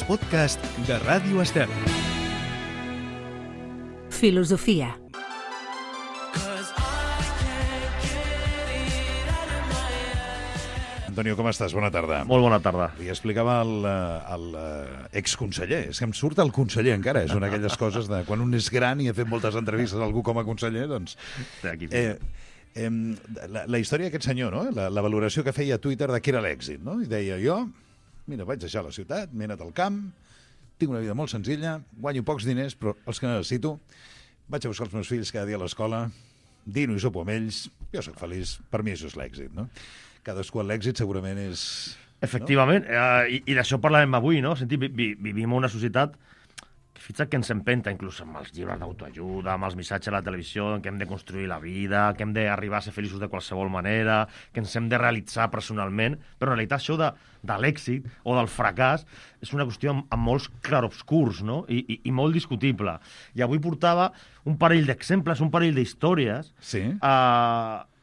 els podcasts de Ràdio Estel. Filosofia. Antonio, com estàs? Bona tarda. Molt bona tarda. Li explicava el exconseller. És que em surt el conseller encara. És una d'aquelles coses de quan un és gran i ha fet moltes entrevistes a algú com a conseller, doncs... La història d'aquest senyor, no? La valoració que feia a Twitter de què era l'èxit, no? I deia, jo, mira, vaig deixar la ciutat, m'he anat al camp, tinc una vida molt senzilla, guanyo pocs diners, però els que necessito, vaig a buscar els meus fills cada dia a l'escola, dino i sopo amb ells, jo sóc feliç, per mi això és l'èxit, no? Cadascú l'èxit segurament és... Efectivament, i d'això parlàvem avui, no? Vivim en una societat que fixa't que ens empenta, inclús amb els llibres d'autoajuda, amb els missatges a la televisió, que hem de construir la vida, que hem d'arribar a ser feliços de qualsevol manera, que ens hem de realitzar personalment, però en realitat això de l'èxit o del fracàs és una qüestió amb molts clarobscurs, no? I molt discutible. I avui portava un parell d'exemples, un parell d'històries... Sí?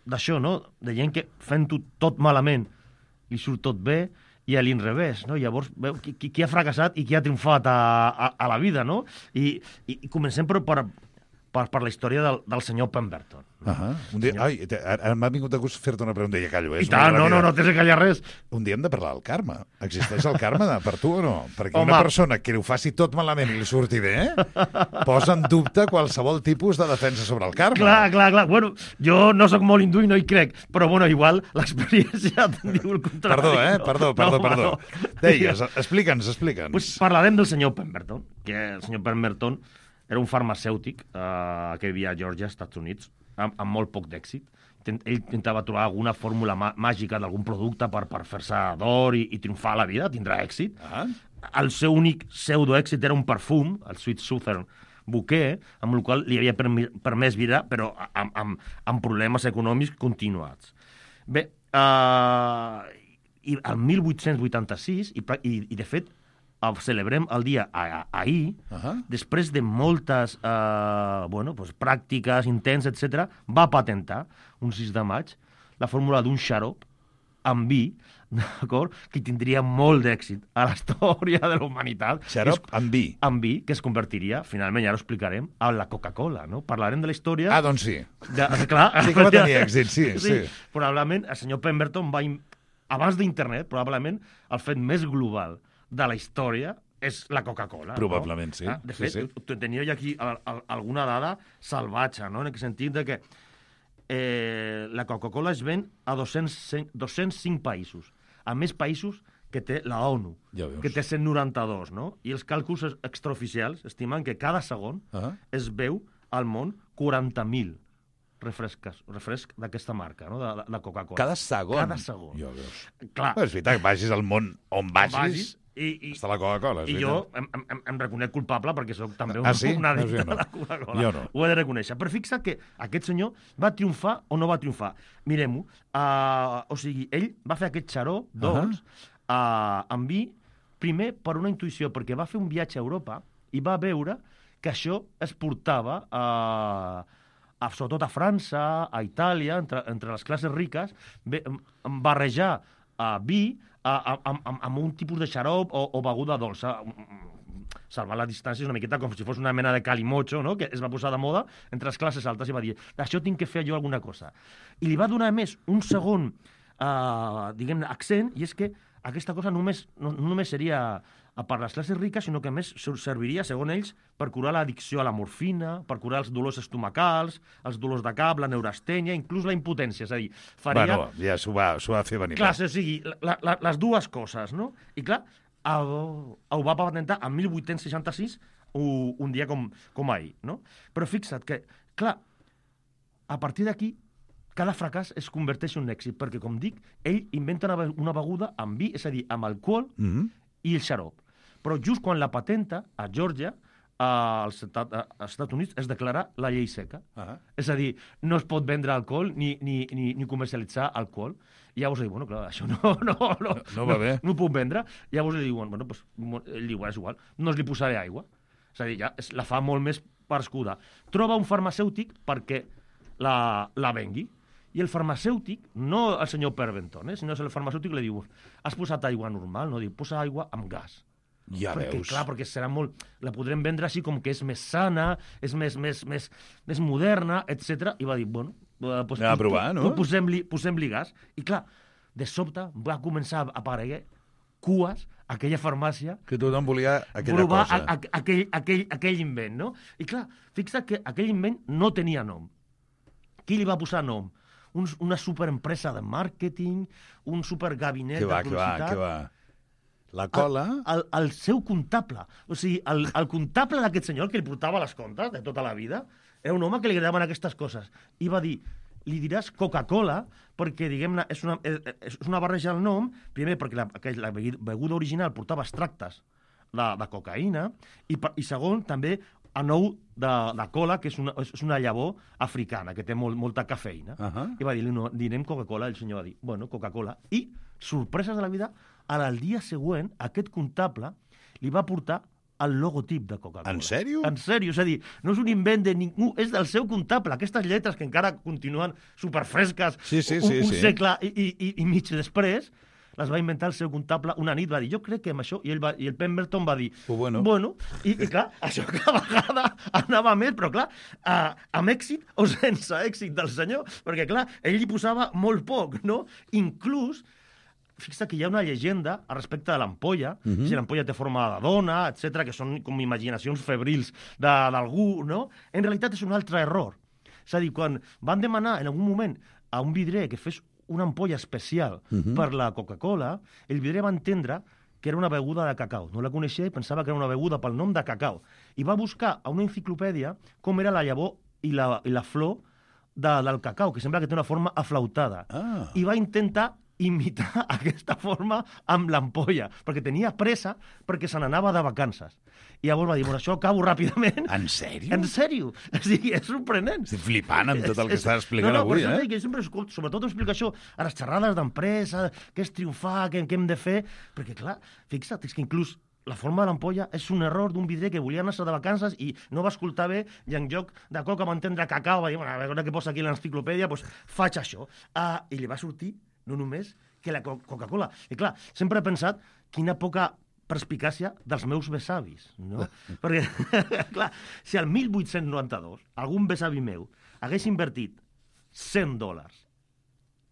D'això, no? De gent que fent-ho tot malament li surt tot bé i a l'inrevés, no? Llavors, veu qui ha fracassat i qui ha triomfat a la vida, no? I comencem per la història del senyor Pemberton. Un dia, ara m'ha vingut de gust fer-te una pregunta i ja callo. I tant, no tens de callar res. Un dia hem de parlar del karma. Existeix el karma per tu o no? Perquè una persona que ho faci tot malament i li surti bé, posa en dubte qualsevol tipus de defensa sobre el karma. Clar. Bueno, jo no sóc molt hindú i no hi crec, però bueno, igual l'experiència te'n diu el contrari. Perdó. Deies, explica'ns. Pues parlarem del senyor Pemberton, que el senyor Pemberton era un farmacèutic que vivia a Georgia, Estats Units, amb molt poc d'èxit. Ell intentava trobar alguna fórmula màgica d'algun producte per fer-se d'or i triomfar a la vida, tindrà èxit. El seu únic pseudoèxit era un perfum, el Sweet Southern Bouquet, amb el qual li havia permès viure, però amb problemes econòmics continuats. Bé, i el 1886, i de fet, celebrem el dia ahir, després de moltes pràctiques, intents, etc., va patentar, un 6 de maig, la fórmula d'un xarop amb vi, d'acord, que tindria molt d'èxit a la història de la humanitat. Xarop amb vi. Amb vi, que es convertiria, finalment, ja ho explicarem, a la Coca-Cola, no? Parlarem de la història... Doncs sí. Clar. Sí que va tenir èxit, sí. Probablement, el senyor Pemberton va... Abans d'internet, probablement, el fet més global de la història és la Coca-Cola. Probablement, no? Sí. De fet, tenia jo aquí alguna dada salvatge, no? En aquest sentit de que la Coca-Cola es ven a 205 països. A més països que té la ONU, que té 192, no? I els càlculs extraoficials estimen que cada segon es veu al món 40.000 refresc d'aquesta marca, no? De Coca-Cola. Cada segon? Cada segon. Clar. És veritat, vagis al món on vagis està la Coca-Cola. I jo em reconec culpable perquè soc també un addicte a la Coca-Cola. Jo no. Ho he de reconèixer. Però fixa't que aquest senyor va triomfar o no va triomfar. Mirem-ho. O sigui, ell va fer aquest xaró, doncs, amb vi, primer per una intuïció, perquè va fer un viatge a Europa i va veure que això es portava sobretot a França, a Itàlia, entre les classes riques, barrejar vi amb un tipus de xarop o beguda dolça. Salvar la distància és una miqueta com si fos una mena de calimocho, no? Que es va posar de moda entre les classes altes i va dir, això tinc que fer jo alguna cosa. I li va donar més un segon accent, i és que aquesta cosa no només seria per les classes riques, sinó que més serviria, segons ells, per curar l'addicció a la morfina, per curar els dolors estomacals, els dolors de cap, la neurastènia, inclús la impotència. És a dir, faria... Bueno, ja s'ho va fer venir. Clar, o sigui, les dues coses, no? I clar, ho va patentar en 1866, un dia com ahir, no? Però fixa't que, clar, a partir d'aquí, cada fracàs es converteix en un èxit, perquè, com dic, ell inventa una beguda amb vi, és a dir, amb alcohol i el xarop. Però just quan la patenta, a Georgia, als Estats Units, es declara la llei seca. És a dir, no es pot vendre alcohol ni comercialitzar alcohol. I llavors diu, bueno, clar, això no va bé. No ho puc vendre. I llavors li diuen, bueno, ell diu, és igual, no li posaré aigua. És a dir, ja la fa molt més perscuda. Troba un farmacèutic perquè la vengui. I el farmacèutic, no el senyor Pemberton, sinó el farmacèutic li diu, has posat aigua normal? No, diu, posa aigua amb gas. Ja perquè, veus. clar, perquè serà molt... La podrem vendre així com que és més sana, és més moderna, etc. I va dir, bueno... Pues, Anem a provar, no? Posem-li gas. I clar, de sobte va començar a aparèixer cues a aquella farmàcia Que tothom volia aquella provar cosa. aquell invent, no? I clar, fixa't que aquell invent no tenia nom. Qui li va posar nom? Una superempresa de màrqueting, un supergabinet de publicitat... Què va? La cola... El seu comptable. O sigui, el comptable d'aquest senyor, que li portava les comptes de tota la vida, era un home que li agradaven aquestes coses. I va dir, li diràs Coca-Cola, perquè, diguem-ne, és una barreja del nom, primer perquè la beguda original portava extractes de cocaïna, i segon, també, a nou de cola, que és una llavor africana, que té molta cafeïna. I va dir, no, direm Coca-Cola, el senyor va dir, bueno, Coca-Cola. I, sorpreses de la vida, al dia següent, aquest comptable li va portar el logotip de Coca-Cola. En sèrio? En sèrio, és a dir, no és un invent de ningú, és del seu comptable. Aquestes lletres que encara continuen superfresques un segle i mig després, les va inventar el seu comptable una nit, va dir, jo crec que amb això, i el Pemberton va dir, bueno, i clar, això cada vegada anava més, però clar, amb èxit o sense èxit del senyor, perquè clar, ell hi posava molt poc, no? Inclús, fixa que hi ha una llegenda a respecte de l'ampolla, si l'ampolla té forma de dona, etc, que són com imaginacions febrils d'algú, no? En realitat és un altre error. És a dir, quan van demanar en algun moment a un vidrer que fes una ampolla especial per la Coca-Cola, el vidrer va entendre que era una beguda de cacau. No la coneixia i pensava que era una beguda pel nom de cacau. I va buscar a una enciclopèdia com era la llavor i la flor del cacau, que sembla que té una forma aflautada. I va intentar imitar aquesta forma amb l'ampolla, perquè tenia pressa perquè se n'anava de vacances. I llavors va dir, bueno, això acabo ràpidament. En sèrio? En sèrio. O sigui, és sorprenent. Estic flipant amb tot el que estàs explicant avui, per això, sempre, sobretot explico això a les xerrades d'empresa, què és triomfar, què hem de fer, perquè clar, fixa't, és que inclús la forma de l'ampolla és un error d'un vidrer que volia anar-se de vacances i no va escoltar bé i en lloc de coca va entendre cacau, va dir, bueno, a veure què posa aquí a l'enciclopèdia, doncs faig això. I li va sortir no només que la Coca-Cola. I clar, sempre he pensat quina poca perspicàcia dels meus besavis, no? Perquè, clar, si al 1892 algun besavi meu hagués invertit $100...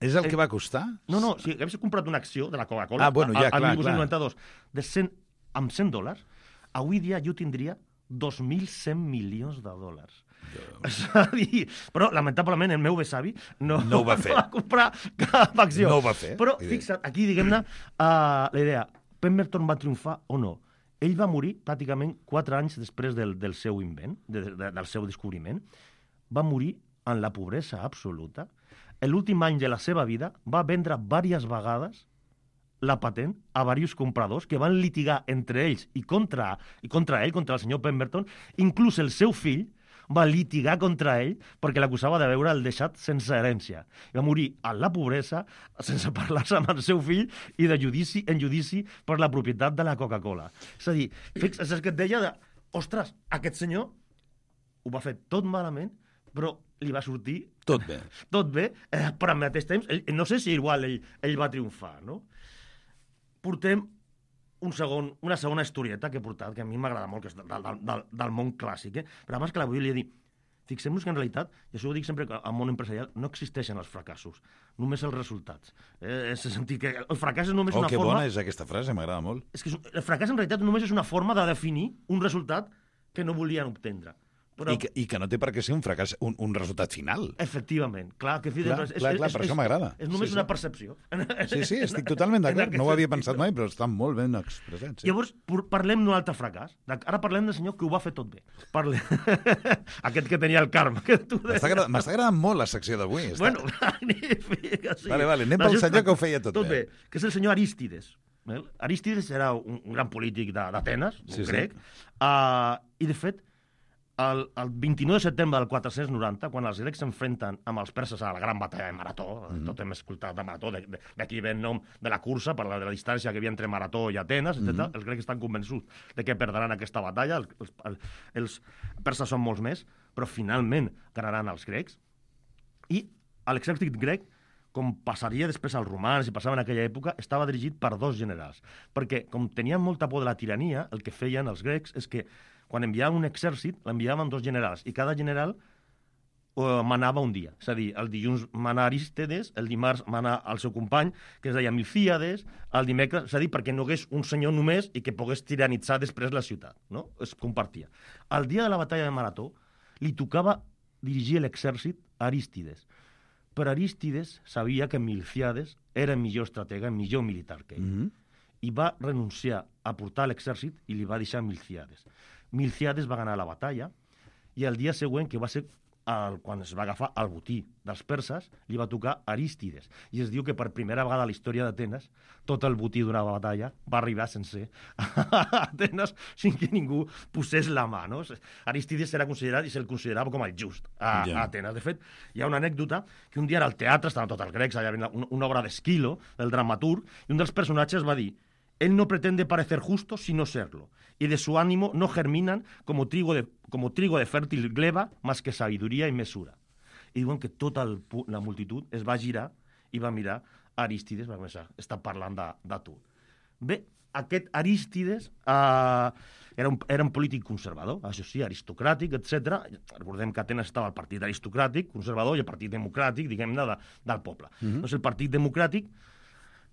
És el que va costar? No, si hagués comprat una acció de la Coca-Cola al 1892 amb $100, avui dia jo tindria 2.100 milions de dòlars. És a dir, però lamentablement el meu besavi no ho va fer. No va comprar cap acció. No ho va fer. Però fixa't, aquí diguem-ne la idea, Pemberton va triomfar o no? Ell va morir pràcticament 4 anys després del seu invent, del seu descobriment. Va morir en la pobresa absoluta. L'últim any de la seva vida va vendre diverses vegades la patent a diversos compradors que van litigar entre ells i contra ell, contra el senyor Pemberton. Inclús el seu fill va litigar contra ell perquè l'acusava de veure el deixat sense herència. I va morir en la pobresa, sense parlar-se amb el seu fill i de judici en judici per la propietat de la Coca-Cola. És a dir, és el que et deia de, ostres, aquest senyor ho va fer tot malament, però li va sortir... Tot bé. Tot bé, però al mateix temps, no sé si igual ell va triomfar, no? Portem una segona historieta que he portat, que a mi m'agrada molt, que és del món clàssic, però abans que la volia dir, fixem-nos que en realitat, i això ho dic sempre al món empresarial, no existeixen els fracassos, només els resultats. És sentit que el fracàs és només una que forma... bona és aquesta frase, m'agrada molt. És que el fracàs en realitat només és una forma de definir un resultat que no volien obtendre. Però... I que no té per què ser un fracàs, un resultat final. Efectivament. Clar, per això m'agrada. És només una percepció. Sí, estic totalment d'acord. No ho havia pensat mai, però està molt ben expressat. Sí. Llavors, parlem d'un altre fracàs. Ara parlem del senyor que ho va fer tot bé. Aquest que tenia el karma. M'està agradant molt la secció d'avui. Bueno, magnífic. Vale, anem pel senyor que ho feia tot bé. Que és el senyor Arístides. Arístides era un gran polític d'Atenes, un grec, i de fet, el 29 de setembre del 490, quan els grecs s'enfrenten amb els perses a la gran batalla de Marató, tot hem escoltat de Marató, d'aquí ve el nom de la cursa, per la distància que hi havia entre Marató i Atenes, etc. Els grecs estan convençuts de que perdran aquesta batalla, els perses són molts més, però finalment ganaran els grecs, i l'exèrcit grec com passaria després als romans i passava en aquella època, estava dirigit per 2 generals. Perquè, com tenien molta por de la tirania, el que feien els grecs és que quan enviaven un exèrcit, l'enviaven 2 generals, i cada general manava un dia. És a dir, el dilluns mana Arístides, el dimarts mana el seu company, que es deia Milcíades, el dimecres, és a dir, perquè no hagués un senyor només i que pogués tiranitzar després la ciutat, no? Es compartia. El dia de la batalla de Marató li tocava dirigir l'exèrcit a Arístides. Però Arístides sabia que Milcíades era millor estratega, millor militar que ell. I va renunciar a portar l'exèrcit i li va deixar Milcíades. Milcíades va ganar la batalla i el dia següent, que va ser quan es va agafar el botí dels perses, li va tocar Arístides. I es diu que per primera vegada a la història d'Atenes tot el botí d'una batalla va arribar sencer a Atenes sin que ningú posés la mà, no? Arístides era considerat i se'l considerava com el just a Atenes. De fet, hi ha una anècdota que un dia era al teatre, estaven tots els grecs, allà una obra d'Esquilo, del dramaturg, i un dels personatges va dir: él no pretende parecer justo sino serlo, y de su ánimo no germinan como trigo de fértil gleba más que sabiduría y mesura. I diuen que tota la multitud es va girar i va mirar Arístides, va començar, està parlant de tu. Bé, aquest Arístides era un polític conservador, això sí, aristocràtic, etc. Recordem que a Atenes estava el partit aristocràtic, conservador, i el partit democràtic, diguem-ne, del poble. Doncs el partit democràtic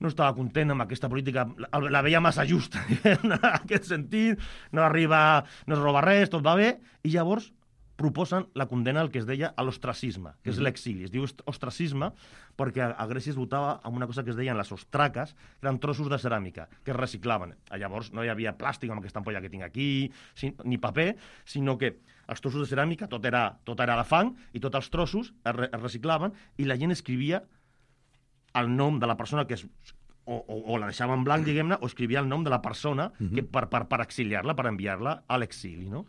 no estava content amb aquesta política, la veia massa justa, en aquest sentit, no es roba res, tot va bé, i llavors proposen la condena al que es deia a l'ostracisme, que és l'exili. Es diu ostracisme perquè a Grècia es votava amb una cosa que es deien les ostraques, que eren trossos de ceràmica, que es reciclaven. Llavors no hi havia plàstic amb aquesta ampolla que tinc aquí, ni paper, sinó que els trossos de ceràmica tot era de fang, i tots els trossos es reciclaven, i la gent escrivia el nom de la persona que o la deixava en blanc, diguem-ne, o escrivia el nom de la persona que per exiliar-la, per enviar-la a l'exili, no?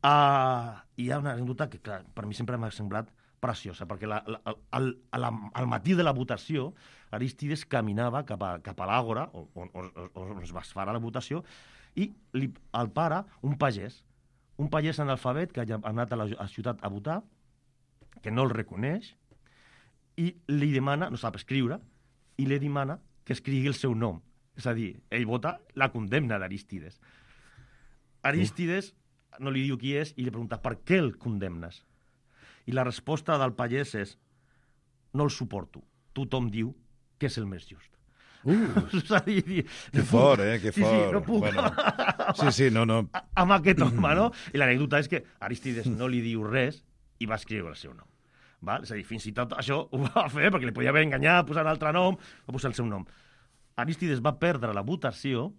Hi ha una anècdota que, clar, per mi sempre m'ha semblat preciosa, perquè al matí de la votació, Arístides caminava cap a l'àgora, on es va fer la votació, i el para un pagès analfabet que ha anat a la ciutat a votar, que no el reconeix, i li demana, no sap escriure, i li demana que escrigui el seu nom. És a dir, ell vota la condemna d'Arístides. Arístides no li diu qui és i li pregunta per què el condemnes. I la resposta del pagès és: no el suporto. Tothom diu que és el més just. És a dir, que fort, que fort. Sí, no puc. Bueno. No. Amb aquest home, no? I l'anècdota és que Arístides no li diu res i va escriure el seu nom. Val? És a dir, fins i tot això ho va fer, perquè li podia haver enganyat, posar un altre nom, va posar el seu nom. Arístides va perdre la votació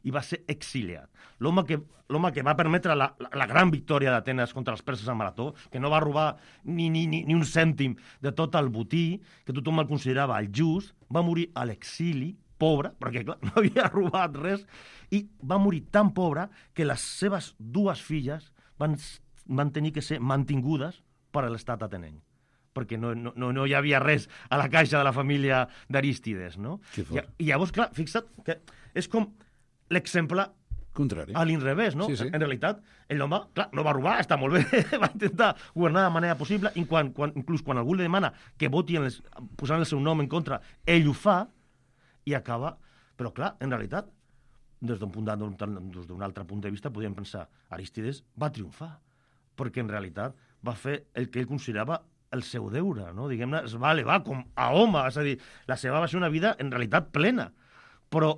i va ser exiliat. L'home que va permetre la gran victòria d'Atenes contra els perses a Marató, que no va robar ni un cèntim de tot el botí, que tothom el considerava el just, va morir a l'exili, pobre, perquè clar, no havia robat res, i va morir tan pobre que les seves 2 filles van tenir que ser mantingudes per l'estat atenenc, perquè no hi havia res a la caixa de la família d'Arístides, no? I llavors, clar, fixa't que és com l'exemple contrari, a l'inrevés, no? Sí. En realitat, l'home, clar, no va robar, està molt bé, va intentar governar de manera possible, i inclús quan algú li demana que voti posant el seu nom en contra, ell ho fa, i acaba... Però, clar, en realitat, des d'un altre punt de vista, podríem pensar, Arístides va triomfar, perquè en realitat va fer el que ell considerava el seu deure, no? Diguem-ne, es va elevar com a home, és a dir, la seva va ser una vida en realitat plena, però,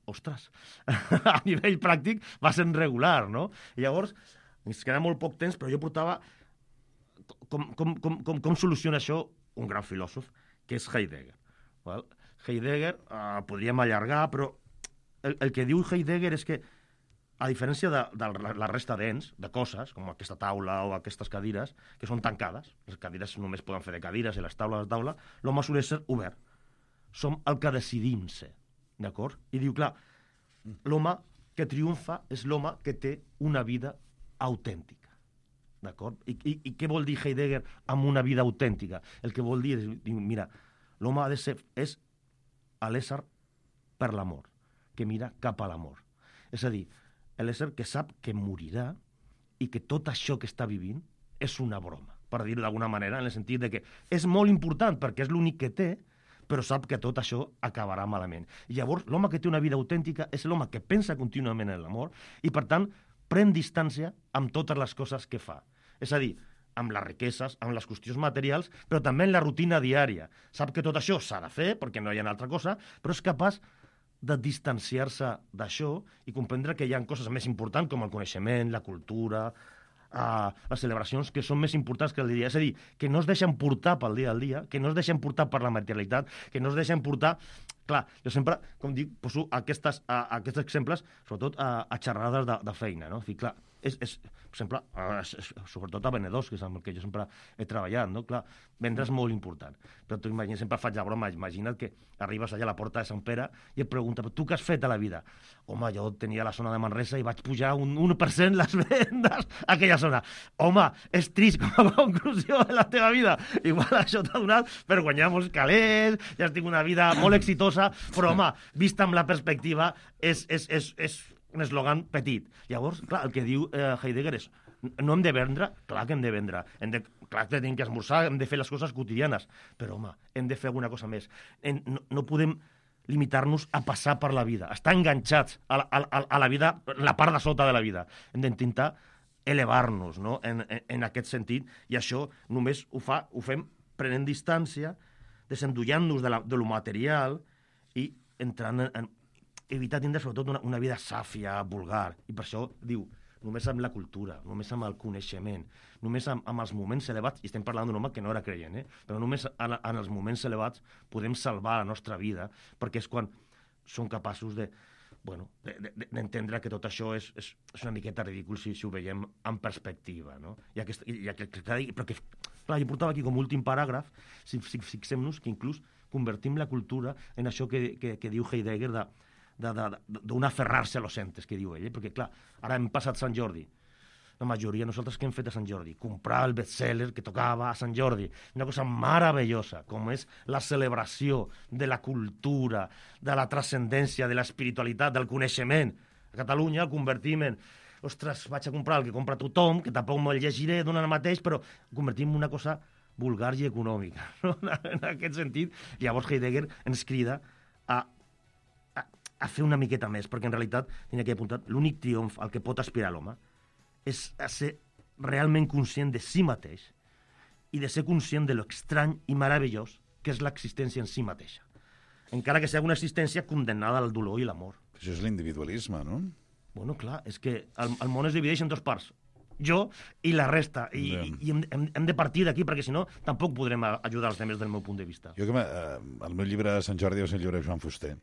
ostres, a nivell pràctic va ser irregular, no? I llavors, ens queda molt poc temps, però jo portava com soluciona això un gran filòsof, que és Heidegger. Val? Heidegger, podríem allargar, però el que diu Heidegger és que, a diferència de la resta d'ens, de coses, com aquesta taula o aquestes cadires, que són tancades, les cadires només poden fer de cadires i les taules de taula, l'home sol ser obert. Som el que decidim ser, d'acord? I diu, clar, l'home que triomfa és l'home que té una vida autèntica, d'acord? I què vol dir Heidegger amb una vida autèntica? El que vol dir és, mira, l'home ha de ser, és l'ésser per l'amor, que mira cap a l'amor. És a dir, l'ésser que sap que morirà i que tot això que està vivint és una broma, per dir-ho d'alguna manera, en el sentit de que és molt important perquè és l'únic que té, però sap que tot això acabarà malament. I llavors, l'home que té una vida autèntica és l'home que pensa contínuament en l'amor i, per tant, pren distància amb totes les coses que fa. És a dir, amb les riqueses, amb les qüestions materials, però també en la rutina diària. Sap que tot això s'ha de fer, perquè no hi ha altra cosa, però és capaç de distanciar-se d'això i comprendre que hi ha coses més importants com el coneixement, la cultura, les celebracions, que són més importants que el dia. És a dir, que no es deixen portar pel dia al dia, que no es deixen portar per la materialitat, que no es deixen portar... Clar, jo sempre, com dic, poso aquests exemples, sobretot a xerrades de feina, no? I clar, per exemple, sobretot a venedors, que és amb el que jo sempre he treballat, no? Clar, vendre és molt important. Però tu imagina, sempre faig la broma, imagina't que arribes allà a la porta de Sant Pere i et pregunta, tu què has fet a la vida? Home, jo tenia la zona de Manresa i vaig pujar un 1% les vendes a aquella zona. Home, és trist com a conclusió de la teva vida. Igual això t'ha donat per guanyar molts calés, ja has tingut una vida molt exitosa, però, home, vista amb la perspectiva, és un eslògan petit. Llavors, clar, el que diu Heidegger és no hem de vendre, clar que hem de vendre, clar que tenim que esmorzar, hem de fer les coses quotidianes, però, home, hem de fer alguna cosa més. No podem limitar-nos a passar per la vida, estar enganxats a la vida, la part de sota de la vida. Hem d'intentar elevar-nos, no? en aquest sentit, i això només ho fem prenent distància, desendollant-nos de lo material i entrant en evitar tindre sobretot una vida sàfia, vulgar. I per això diu, només amb la cultura, només amb el coneixement, només amb els moments elevats, i estem parlant d'un home que no era creient, però només en els moments elevats podem salvar la nostra vida, perquè és quan som capaços d'entendre que tot això és una miqueta ridícul si ho veiem en perspectiva, no? Però que, clar, jo portava aquí com últim paràgraf, si fixem-nos que inclús convertim la cultura en això que diu Heidegger d'un aferrar-se a los entes, que diu ell, perquè, clar, ara hem passat Sant Jordi. La majoria de nosaltres què hem fet a Sant Jordi? Comprar el best-seller que tocava a Sant Jordi. Una cosa meravellosa, com és la celebració de la cultura, de la transcendència, de l'espiritualitat, del coneixement. A Catalunya el convertim en... Ostres, vaig a comprar el que compra tothom, que tampoc me'l llegiré donant el mateix, però ho convertim en una cosa vulgar i econòmica, no? En aquest sentit. Llavors Heidegger ens crida a fer una miqueta més, perquè en realitat, tenia que apuntar, l'únic triomf al que pot aspirar l'home és a ser realment conscient de si mateix i de ser conscient de lo estrany i meravellós que és l'existència en si mateixa. Encara que sigui una existència condemnada al dolor i l'amor. Això és l'individualisme, no? Bueno, clar, és que el món es divideix en dues parts. Jo i la resta. I hem de partir d'aquí, perquè si no tampoc podrem ajudar els altres del meu punt de vista. Jo el meu llibre de Sant Jordi és el llibre de Joan Fuster.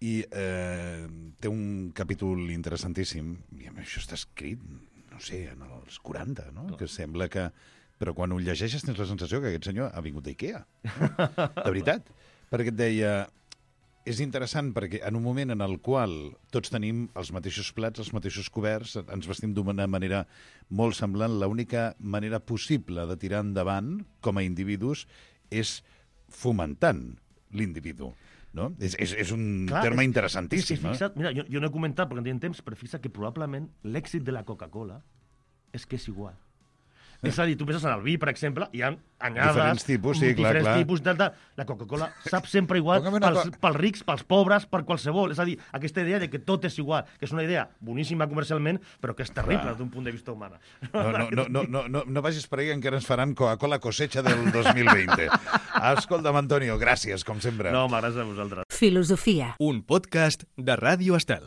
I té un capítol interessantíssim, i això està escrit, no sé, en els 40, no? Que sembla que... Però quan ho llegeixes tens la sensació que aquest senyor ha vingut d'Ikea. De veritat. Perquè et deia... És interessant perquè en un moment en el qual tots tenim els mateixos plats, els mateixos coberts, ens vestim d'una manera molt semblant, l'única manera possible de tirar endavant com a individus és fomentant l'individu. No? És un terme interessantíssim. Fixa't, mira, jo no he comentat perquè no tinc temps, però fixa't que probablement l'èxit de la Coca-Cola és que és igual. És a dir, tu penses en el vi, per exemple, hi ha anyades... Diferents tipus, sí, clar. Tipus, la Coca-Cola sap sempre igual pels rics, pels pobres, per qualsevol. És a dir, aquesta idea de que tot és igual, que és una idea boníssima comercialment, però que és terrible d'un punt de vista humana. No vagis per ahí, encara ens faran Coca-Cola cosecha del 2020. Escolta'm, Antonio, gràcies, com sempre. No, gràcies a vosaltres. Filosofia. Un podcast de Ràdio Estel.